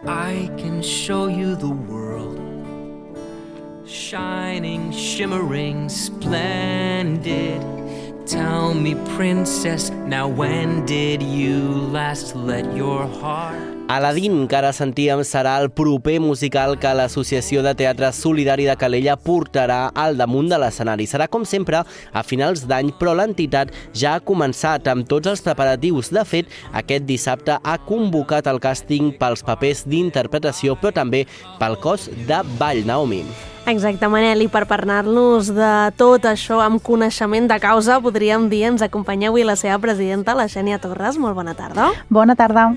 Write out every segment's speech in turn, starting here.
I can show you the world, shining, shimmering, splendid. Tell me, princess, now when did you last let your heart... Aladdin, que ara sentíem, serà el proper musical que l'Associació de Teatre Solidari de Calella portarà al damunt de l'escenari. Serà, com sempre, a finals d'any, però l'entitat ja ha començat amb tots els preparatius. De fet, aquest dissabte ha convocat el càsting pels papers d'interpretació, però també pel cos de ball, Naomi. Exacte, Manel, i per parlar-nos de tot això amb coneixement de causa, podríem dir, ens acompanya avui la seva presidenta, la Xènia Torres. Molt bona tarda. Bona tarda.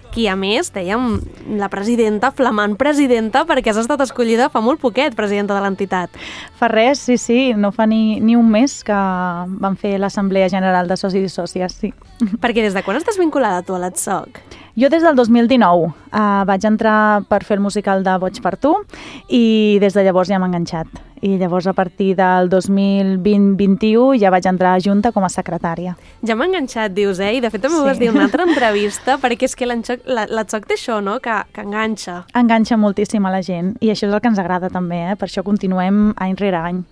Qui, a més, dèiem, la presidenta, flamant presidenta, perquè has estat escollida fa molt poquet, presidenta de l'entitat. Fa res, sí, no fa ni un mes que vam fer l'Assemblea General de Socis i Sòcies, sí. Perquè des de quan estàs vinculada tu a l'ATSOC? Jo des del 2019 vaig entrar per fer el musical de Boig per tu i des de llavors ja m'he enganxat. I llavors a partir del 2020-21 ja vaig entrar a Junta com a secretària. Ja m'he enganxat, dius, I de fet també ho vas dir en una altra entrevista, perquè és que l'ATSOC té això, no?, que enganxa. Enganxa moltíssim a la gent i això és el que ens agrada també, per això continuem any rere any.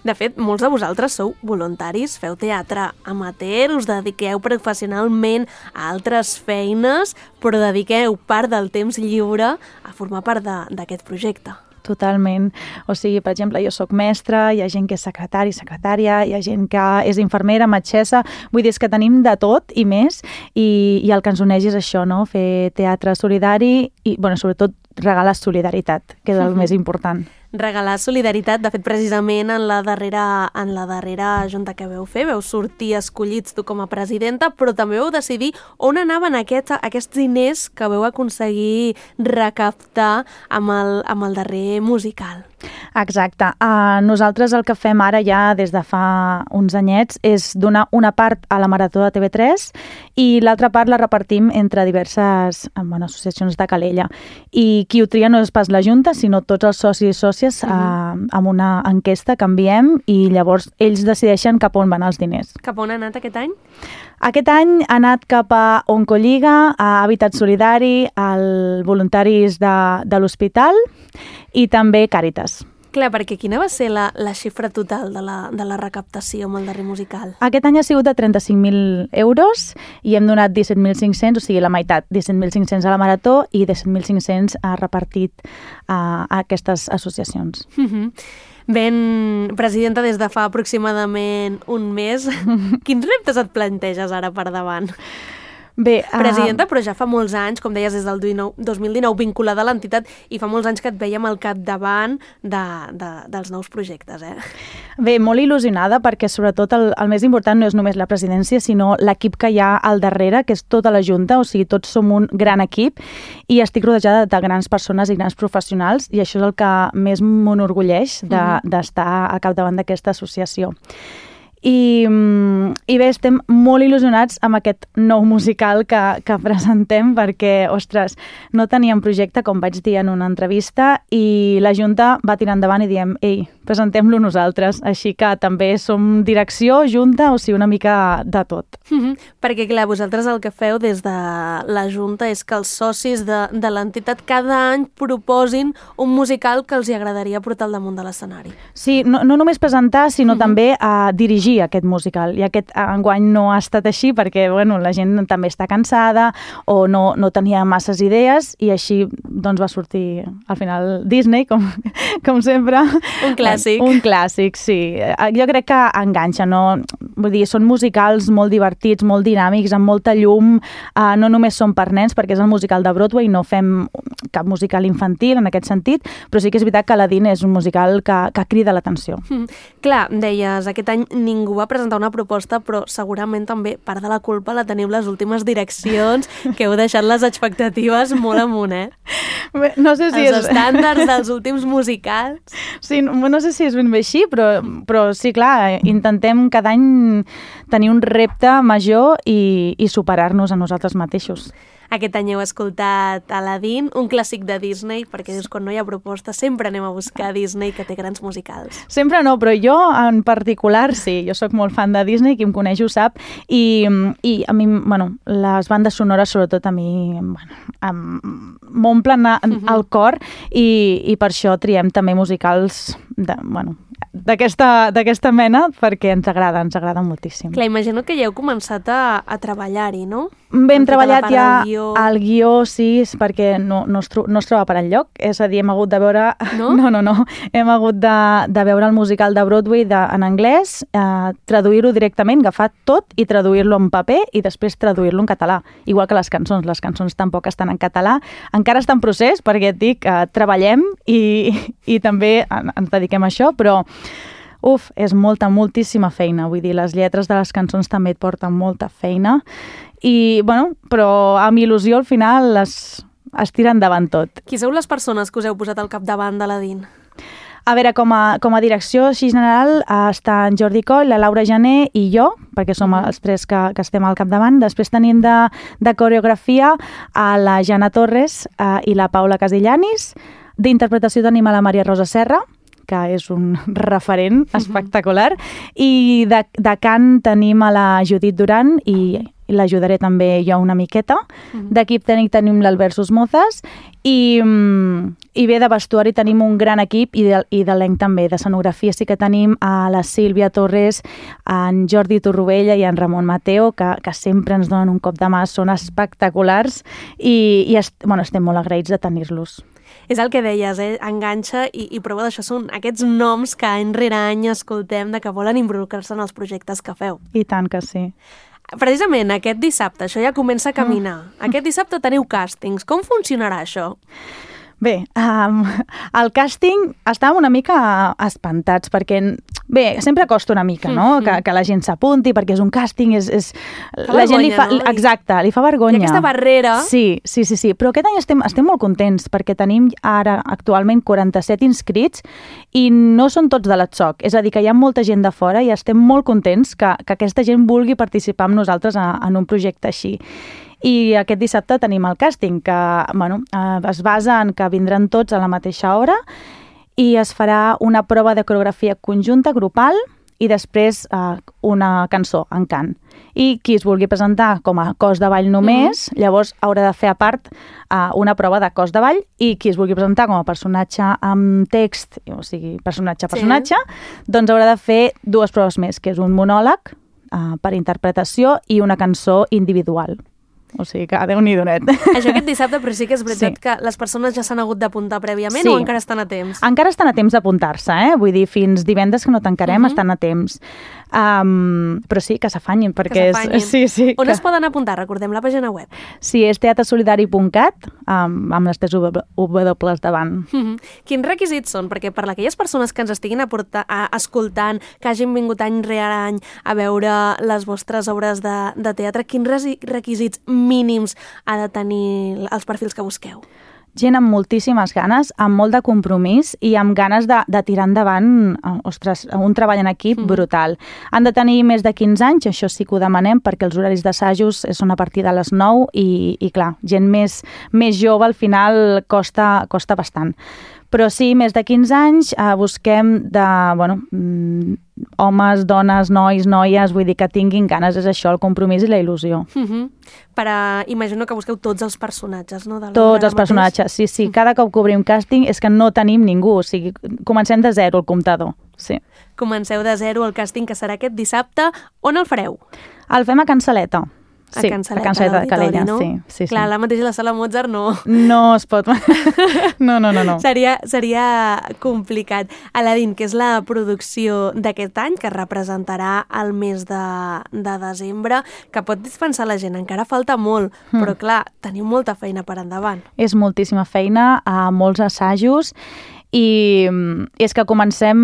De fet, molts de vosaltres sou voluntaris, feu teatre amateur, us dediqueu professionalment a altres feines, però dediqueu part del temps lliure a formar part d'aquest projecte. Totalment. O sigui, per exemple, jo sóc mestra, hi ha gent que és secretària, hi ha gent que és infermera, metgessa, vull dir, és que tenim de tot i més, i el que ens uneix és això, no?, fer teatre solidari i, sobretot, regalar solidaritat, que és el més important. Regalar solidaritat, de fet, precisament en la darrera junta que veu fer, veu sortir escollits tu com a presidenta, però també veu decidir on anaven aquests diners que veu aconseguir recaptar amb el darrer musical. Exacte. Nosaltres el que fem ara ja des de fa uns anyets és donar una part a la Marató de TV3 i l'altra part la repartim entre diverses associacions de Calella. I qui ho tria no és pas la Junta, sinó tots els socis i sòcies amb una enquesta que enviem i llavors ells decideixen cap on van els diners. Cap on ha anat aquest any? Aquest any ha anat cap a Oncolliga, a Hàbitat Solidari, al Voluntaris de l'Hospital i també Càritas. Clar, perquè quina va ser la xifra total de la recaptació amb el darrer musical? Aquest any ha sigut de 35.000 euros i hem donat 17.500, o sigui, la meitat, 17.500 a la Marató i 17.500 ha repartit a aquestes associacions. Ben, presidenta, des de fa aproximadament un mes, quins reptes et planteges ara per davant? Bé, presidenta, però ja fa molts anys, com deies, des del 2019, vinculada a l'entitat, i fa molts anys que et veiem al capdavant dels nous projectes, Bé, molt il·lusionada, perquè sobretot el més important no és només la presidència, sinó l'equip que hi ha al darrere, que és tota la Junta, o sigui, tots som un gran equip, i estic rodejada de grans persones i grans professionals, i això és el que més m'enorgulleix d'estar al capdavant d'aquesta associació. I bé, estem molt il·lusionats amb aquest nou musical que presentem perquè, ostres, no teníem projecte, com vaig dir en una entrevista, i la Junta va tirar endavant i diem, ei, presentem-lo nosaltres. Així que també som direcció, Junta, o sigui, una mica de tot. Perquè, clar, vosaltres el que feu des de la Junta és que els socis de l'entitat cada any proposin un musical que els hi agradaria portar al damunt de l'escenari. Sí, no només presentar, sinó també a dirigir aquest musical. I aquest enguany no ha estat així perquè la gent també està cansada o no tenia masses idees i així va sortir al final Disney, com sempre. Un clàssic. Un clàssic, sí. Jo crec que enganxa, no? Vull dir, són musicals molt divertits, molt dinàmics, amb molta llum. No només són per nens, perquè és el musical de Broadway, no fem cap musical infantil en aquest sentit, però sí que és veritat que Aladdin és un musical que crida l'atenció. Clar, deies, aquest any ningú va presentar una proposta, però segurament també part de la culpa la teniu les últimes direccions, que heu deixat les expectatives molt amunt, No sé si els estàndards dels últims musicals. Sí, no sé si és ben bé així, però sí, clar, intentem cada any tenir un repte major i superar-nos a nosaltres mateixos. Aquest any heu escoltat Aladdin, un clàssic de Disney, perquè dius, quan no hi ha proposta, sempre anem a buscar Disney, que té grans musicals. Sempre no, però jo en particular sí, jo sóc molt fan de Disney, qui em coneix ho sap, i a mi, bueno, les bandes sonores sobretot a mi, bueno, m'omplen el cor i per això triem també musicals d'aquesta mena, perquè ens agrada moltíssim. Clar, imagino que ja heu començat a treballar-hi, no? Bé, hem treballat ja el guió, sí, perquè no es troba per enlloc, és a dir, hem hagut de veure... No? No, hem hagut de veure el musical de Broadway en anglès, traduir-ho directament, agafar tot i traduir-lo en paper i després traduir-lo en català, igual que les cançons tampoc estan en català, encara està en procés, perquè et dic, treballem i també ens dediquem a això, però és moltíssima feina, vull dir, les lletres de les cançons també et porten molta feina i, bueno, però amb il·lusió al final es tira endavant tot. Qui sou les persones que us heu posat al capdavant d'Aladdin? A veure, com a direcció així general està en Jordi Coll, la Laura Jané i jo, perquè som els tres que estem al capdavant. Després tenim de coreografia a la Jana Torres i la Paula Casillanis. D'interpretació tenim a la Maria Rosa Serra, que és un referent espectacular, i de cant tenim a la Judit Duran i l'ajudaré també jo una miqueta. D'equip tècnic tenim l'Albert Susmozas i bé, de vestuari tenim un gran equip i d'elenc també. De sí que tenim a la Sílvia Torres, en Jordi Torrovella i en Ramon Mateo, que sempre ens donen un cop de mà, són espectaculars i estem molt agraïts de tenir-los. És el que deies, enganxa i prova d'això. Són aquests noms que any rere any escoltem de que volen involucrar-se en els projectes que feu. I tant que sí. Precisament aquest dissabte, això ja comença a caminar. Aquest dissabte teniu càstings. Com funcionarà això? Bé, el càsting estàvem una mica espantats perquè, bé, sempre costa una mica, no?, que la gent s'apunti perquè és un càsting, la gent li fa, no? Exacte, li fa vergonya. Hi ha aquesta barrera. Sí, però aquest any estem molt contents perquè tenim ara actualment 47 inscrits i no són tots de l'ETSOC, és a dir, que hi ha molta gent de fora i estem molt contents que aquesta gent vulgui participar amb nosaltres en un projecte així. I aquest dissabte tenim el càsting, que es basa en que vindran tots a la mateixa hora i es farà una prova de coreografia conjunta, grupal, i després una cançó en cant. I qui es vulgui presentar com a cos de ball només, llavors haurà de fer a part una prova de cos de ball, i qui es vulgui presentar com a personatge amb text, o sigui, personatge, doncs haurà de fer dues proves més, que és un monòleg per interpretació i una cançó individual. O sigui que Déu-n'hi-do-net. Això aquest dissabte, però sí que és veritat que les persones ja s'han hagut d'apuntar prèviament o encara estan a temps? Encara estan a temps d'apuntar-se, vull dir, fins divendres que no tancarem estan a temps. Però sí, que s'afanyin, perquè és... On es poden apuntar? Recordem la pàgina web. Sí, és teatresolidari.cat, amb les 3 W davant. Quins requisits són? Perquè per aquelles persones que ens estiguin escoltant, que hagin vingut any rere any a veure les vostres obres de teatre, quins requisits mínims ha de tenir els perfils que busqueu? Gent amb moltíssimes ganes, amb molt de compromís i amb ganes de tirar endavant, un treball en equip brutal. Han de tenir més de 15 anys, això sí que ho demanem, perquè els horaris d'assajos són a partir de les 9 i clar, gent més jove al final costa bastant. Però sí, més de 15 anys, busquem homes, dones, nois, noies, vull dir que tinguin ganes, és això, el compromís i la il·lusió. Imagino que busqueu tots els personatges, no? Tots els personatges, sí. Cada cop que obrim càsting és que no tenim ningú, o sigui, comencem de zero el comptador, sí. Comenceu de zero el càsting, que serà aquest dissabte. On el fareu? El fem a Can Saleta. Sí, a Can Saleta de Calella, no? Sí. Clar, la mateixa la sala Mozart no. No es pot. No. Seria complicat. Aladdin, que és la producció d'aquest any, que representarà el mes de desembre, que pot dispensar la gent. Encara falta molt, però clar, teniu molta feina per endavant. És moltíssima feina, molts assajos, i és que començarem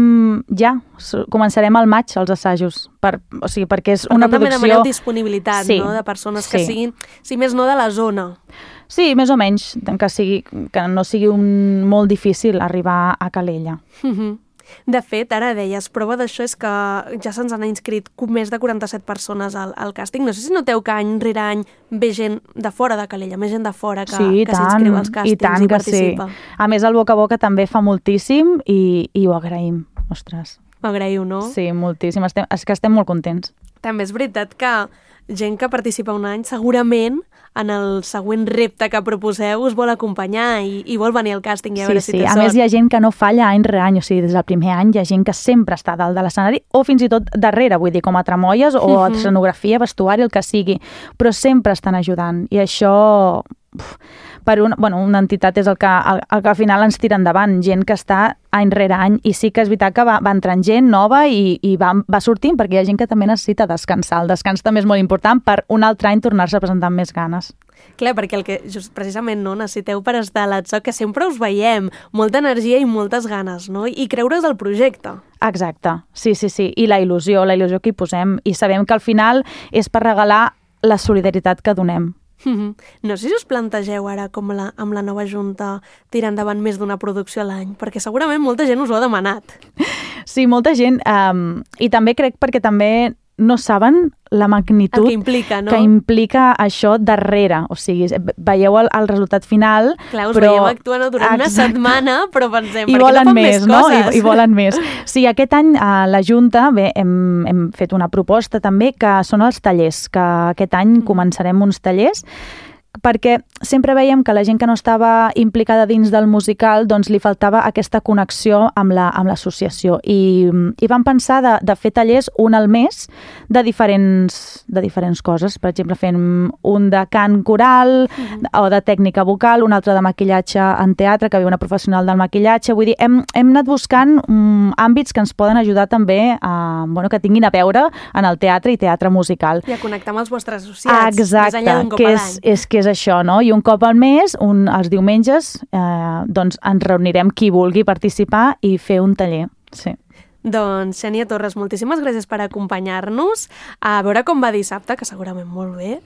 al maig els assajos, perquè és una producció... També demaneu disponibilitat, no?, de persones que siguin, si més no, de la zona. Sí, més o menys, que no sigui molt difícil arribar a Calella. De fet, ara deies, prova d'això és que ja se'ns han inscrit més de 47 persones al càsting. No sé si noteu que any rere any ve gent de fora de Calella, més gent de fora que s'inscriu als càstings i participa. Sí. A més, el boca a boca també fa moltíssim i ho agraïm. Ostres. Ho agraïu, no? Sí, moltíssim. És que estem molt contents. També és veritat que gent que participa un any segurament en el següent repte que proposeu us vol acompanyar i vol venir al càsting i a veure si té sort. A més, hi ha gent que no falla any rere any, o sigui, des del primer any hi ha gent que sempre està a dalt de l'escenari o fins i tot darrere, vull dir, com a tramolles o a escenografia, vestuari, el que sigui, però sempre estan ajudant i això... per una entitat és el que al final ens tira endavant, gent que està any rere any, i sí que és veritat que va entrant gent nova i va sortint perquè hi ha gent que també necessita descansar. El descans també és molt important per un altre any tornar-se a presentar amb més ganes. Clar, perquè el que precisament necessiteu per estar a l'Atso, que sempre us veiem, molta energia i moltes ganes, no? I creure's al projecte. Exacte, sí. I la il·lusió que hi posem. I sabem que al final és per regalar la solidaritat que donem. No sé si us plantegeu ara com amb la nova Junta tirar endavant més d'una producció a l'any, perquè segurament molta gent us ho ha demanat. Sí, molta gent, i també crec perquè també no saben la magnitud que implica, no? Que implica això darrere. O sigui, veieu el resultat final, clar, us veieu actuant durant una setmana, però pensem, per què no fan més coses? I volen més. Sí, aquest any a la Junta hem fet una proposta també que són els tallers, que aquest any començarem uns tallers perquè sempre veiem que la gent que no estava implicada dins del musical doncs li faltava aquesta connexió amb l'associació i vam pensar de fer tallers un al mes de diferents coses. Per exemple, fem un de cant coral o de tècnica vocal, un altre de maquillatge en teatre, que ve una professional del maquillatge. Vull dir, hem anat buscant àmbits que ens poden ajudar també que tinguin a veure en el teatre i teatre musical. I a connectar amb els vostres associats. Exacte, més enllà d'un cop a l'any. Que és això, no? I un cop al mes, els diumenges, doncs ens reunirem qui vulgui participar i fer un taller. Sí. Doncs, Xènia Torres, moltíssimes gràcies per acompanyar-nos. A veure com va dissabte, que segurament molt bé.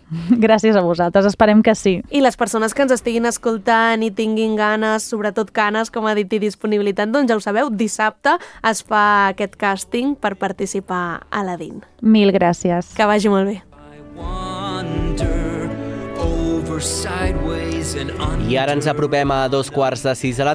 Gràcies a vosaltres, esperem que sí. I les persones que ens estiguin escoltant i tinguin ganes, sobretot ganes, com ha dit, i disponibilitat, doncs ja ho sabeu, dissabte es fa aquest càsting per participar a l'Adin. Mil gràcies. Que vagi molt bé. Sideways and I ara ens apropem a 2:15 de la